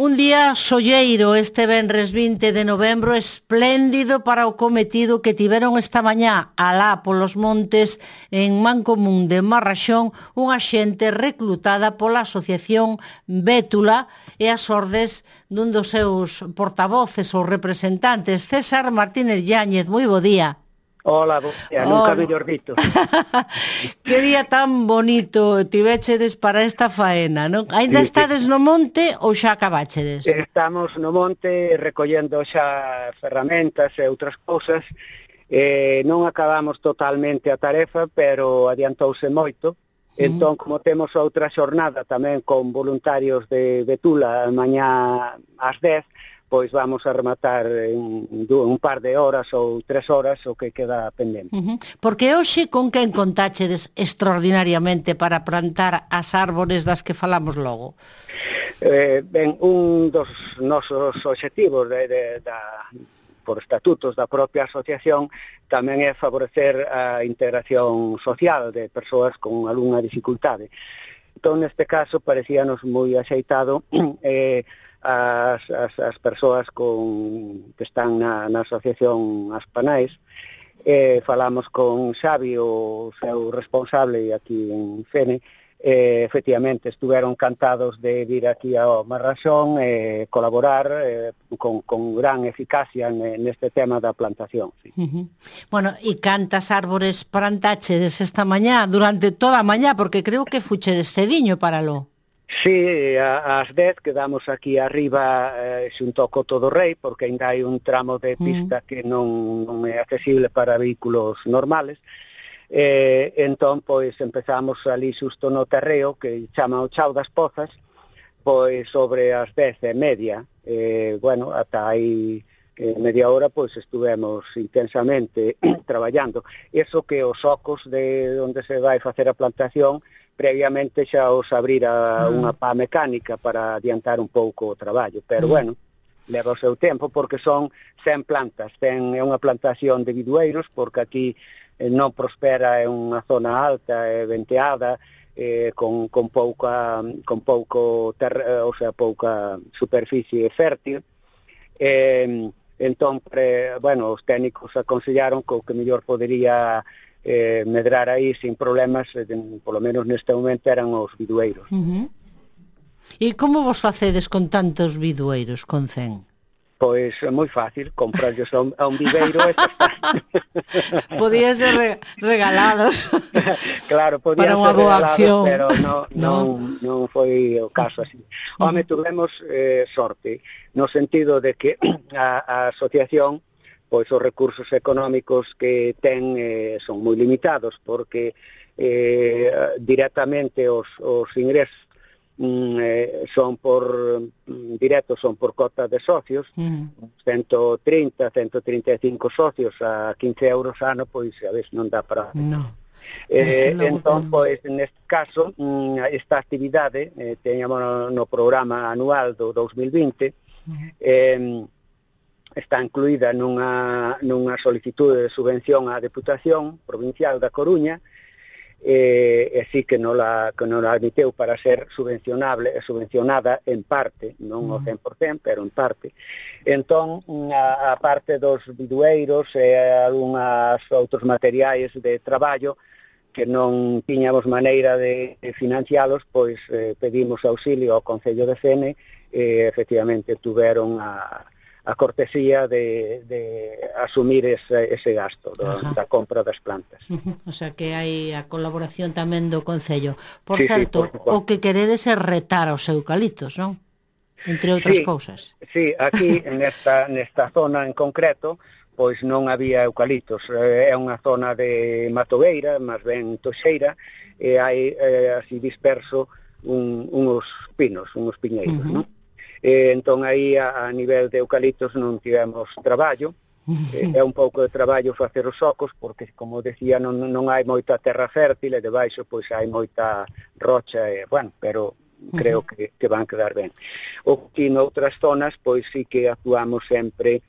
Un día solleiro este venres 20 de novembro, espléndido para o cometido que tiveron esta mañá alá polos montes en Mancomún de Marraxón unha xente reclutada pola Asociación Bétula e as ordes dun dos seus portavoces ou representantes, César Martínez Yáñez. Moi bo día. Hola, nunca mellor dito. Que día tan bonito tivéchedes para esta faena, non? Ainda estades no monte ou xa acabáchedes? Estamos no monte recollendo xa ferramentas e outras cousas. Non acabamos totalmente a tarefa, pero adiantouse moito. Entón, como temos outra xornada tamén con voluntarios de Betula mañá ás 10, pois vamos a rematar en un par de horas ou 3 horas o que queda pendente. Porque hoxe con quen contáchedes extraordinariamente para plantar as árbores das que falamos logo? Ben, un dos nosos obxectivos por estatutos da propia asociación tamén é favorecer a integración social de persoas con algunha dificultade. Entón, neste caso, parecíanos moi axeitado as persoas que están na asociación As Panais. Falamos con Xavi, o seu responsable aquí en Fene. Efectivamente, estuveron encantados de vir aquí ao Marraxón e colaborar con gran eficacia neste tema da plantación. Sí. Bueno, e cantas árbores plantáchedes esta mañá, durante toda a mañá, porque creo que fuchedes cediño para lo. Sí, ás 10 quedamos aquí arriba xunto ao Coto do Rei, porque ainda hai un tramo de pista que non é accesible para vehículos normales. Entón, pois, empezamos ali xusto no terreo, que chama o Chao das Pozas, pois sobre as 10:30. Bueno, ata aí media hora, pois, estuvemos intensamente traballando. Eso que os ocos de onde se vai facer a plantación, previamente xa os abrira unha pá mecánica para adiantar un pouco o traballo, pero bueno, leva o seu tempo porque son 100 plantas, é unha plantación de bidueiros porque aquí non prospera, é unha zona alta, é venteada, con pouca superficie fértil. Entón, bueno, os técnicos aconsellaron que o que mellor podería medrar aí sin problemas, polo menos neste momento, eran os bidueiros. E como vos facedes con tantos bidueiros, con 100? Pois é moi fácil, comprarlos a un viveiro e xa está. Podían ser regalados. Claro, podían ser regalados, pero non foi o caso así. Home, tuvemos sorte, no sentido de que a asociación, pois os recursos económicos que ten son moi limitados, porque directamente os ingresos son por cota de socios, 130, 135 socios a 15 euros ano, pois a veces non dá para... Entón, pois, neste caso, esta actividade teñamos no programa anual do 2020, está incluída nunha solicitude de subvención á Deputación Provincial da Coruña, e así que non la admiteu para ser subvencionada en parte, non ao 100%, pero en parte. Entón, a parte dos bidueiros e algunhas outros materiais de traballo que non tiñamos maneira de financialos, pois pedimos auxilio ao Concello de Fene e efectivamente tuveron a cortesía de asumir ese gasto da compra das plantas. O sea que hai a colaboración tamén do Concello. Por certo, o que queredes é retar aos eucaliptos, non? Entre outras cousas. Sí, aquí nesta zona en concreto, pois non había eucaliptos. É unha zona de matogueira, máis ben toxeira, e hai así disperso uns pinos, uns piñeiros, non? Entón aí a nivel de eucaliptos non tivemos traballo, é un pouco de traballo facer os ocos porque, como decía, non hai moita terra fértil e debaixo pois hai moita rocha e, bueno, pero creo que van quedar ben. O que noutras zonas pois sí que actuamos sempre,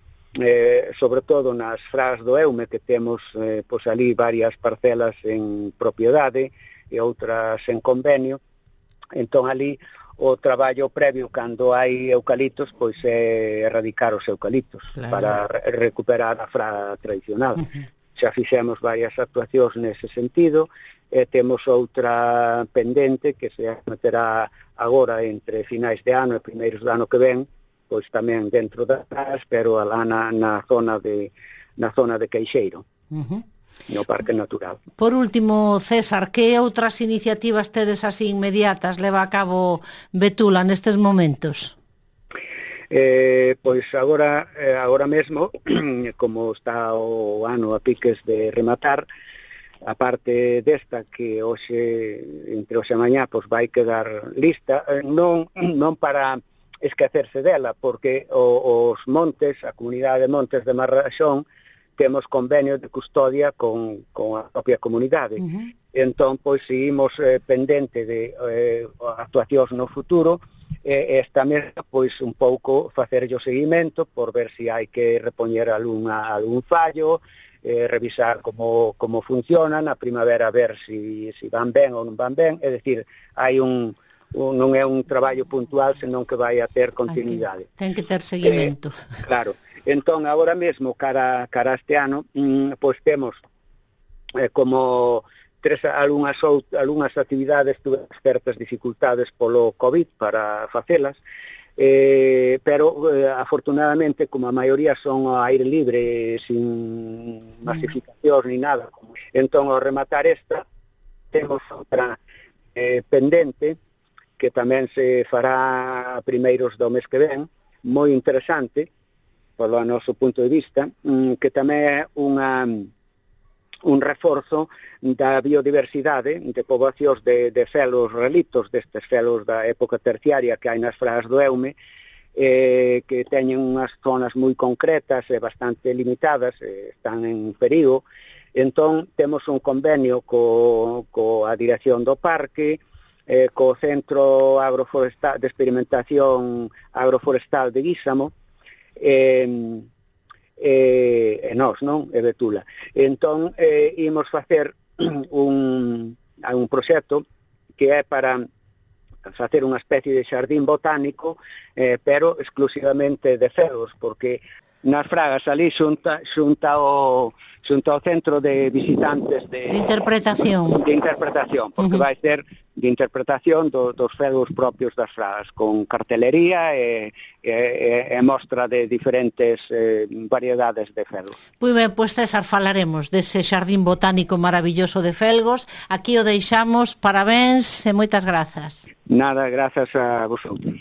sobre todo nas fras do Eume, que temos pois ali varias parcelas en propiedade e outras en convenio. Entón ali o traballo previo cando hai eucaliptos pois é erradicar os eucaliptos, claro, para recuperar a fraga tradicional. Xa fixemos varias actuacións nese sentido, e temos outra pendente que se meterá agora entre finais de ano e primeiros do ano que ven, pois tamén dentro das pragas, pero alá na zona de Queixeiro, no Parque Natural. Por último, César, que outras iniciativas tedes así inmediatas leva a cabo Betula nestes momentos? Pois agora mesmo, como está o ano a piques de rematar, a parte desta que entre hoxe e mañá pois vai quedar lista, non para esquecerse dela, porque os montes, a comunidade de montes de Marraxón, temos convenio de custodia con a propia comunidade. Entón, pois, seguimos pendente de actuacións no futuro, esta mesma, pois, un pouco facerlle o seguimento por ver se hai que repoñer algún fallo, revisar como funcionan, a primavera ver se van ben ou non van ben, é dicir, hai non é un traballo puntual, senón que vai a ter continuidade. Ten que ter seguimento. Claro. Entón, agora mesmo, cara a este ano, pois temos como algunhas actividades tuve certas dificultades polo COVID para facelas, pero afortunadamente, como a maioría son ao aire libre, sin masificación ni nada, entón, ao rematar esta, temos outra pendente, que tamén se fará a primeiros do mes que ven, moi interesante, polo noso punto de vista, que tamén é un reforzo da biodiversidade de poboacións de felos relictos, destes felos da época terciaria que hai nas fragas do Eume, que teñen unhas zonas moi concretas e bastante limitadas, están en perigo. Entón, temos un convenio coa dirección do parque, co Centro Agroforestal de Experimentación Agroforestal de Guísamo, e nós, non? E Betula. Entón, imos facer un proxecto que é para facer unha especie de xardín botánico, pero exclusivamente de felos, porque nas fragas ali xunta ao centro de visitantes de interpretación, porque vai ser de interpretación dos felos propios das fragas, con cartelería e mostra de diferentes variedades de felos. Moi ben, pois César, falaremos dese xardín botánico maravilloso de Felgos. Aquí o deixamos, parabéns e moitas grazas. Nada, grazas a vosotros.